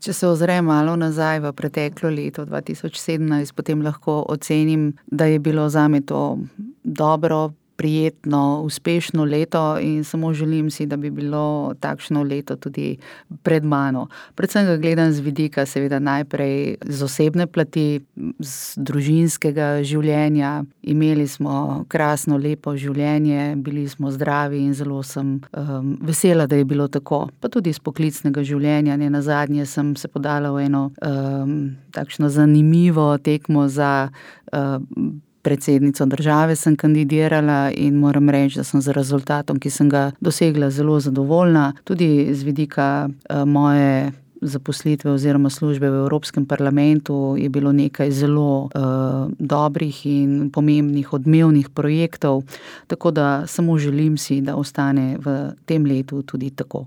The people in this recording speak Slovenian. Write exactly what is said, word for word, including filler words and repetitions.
Če se ozrem malo nazaj v preteklo leto dva tisoč sedemnajst, potem lahko ocenim, da je bilo zame to dobro, prijetno, uspešno leto in samo želim si, da bi bilo takšno leto tudi pred mano. Predvsem ga gledam z vidika seveda najprej z osebne plati, z družinskega življenja. Imeli smo krasno, lepo življenje, bili smo zdravi in zelo sem, vesela, da je bilo tako. Pa tudi iz poklicnega življenja, nenazadnje sem se podala v eno, takšno zanimivo tekmo za, predsednico države sem kandidirala in moram reči, da sem z rezultatom, ki sem ga dosegla, zelo zadovoljna. Tudi z vidika, moje zaposlitve oziroma službe v Evropskem parlamentu je bilo nekaj zelo, dobrih in pomembnih odmevnih projektov, tako da samo želim si, da ostane v tem letu tudi tako.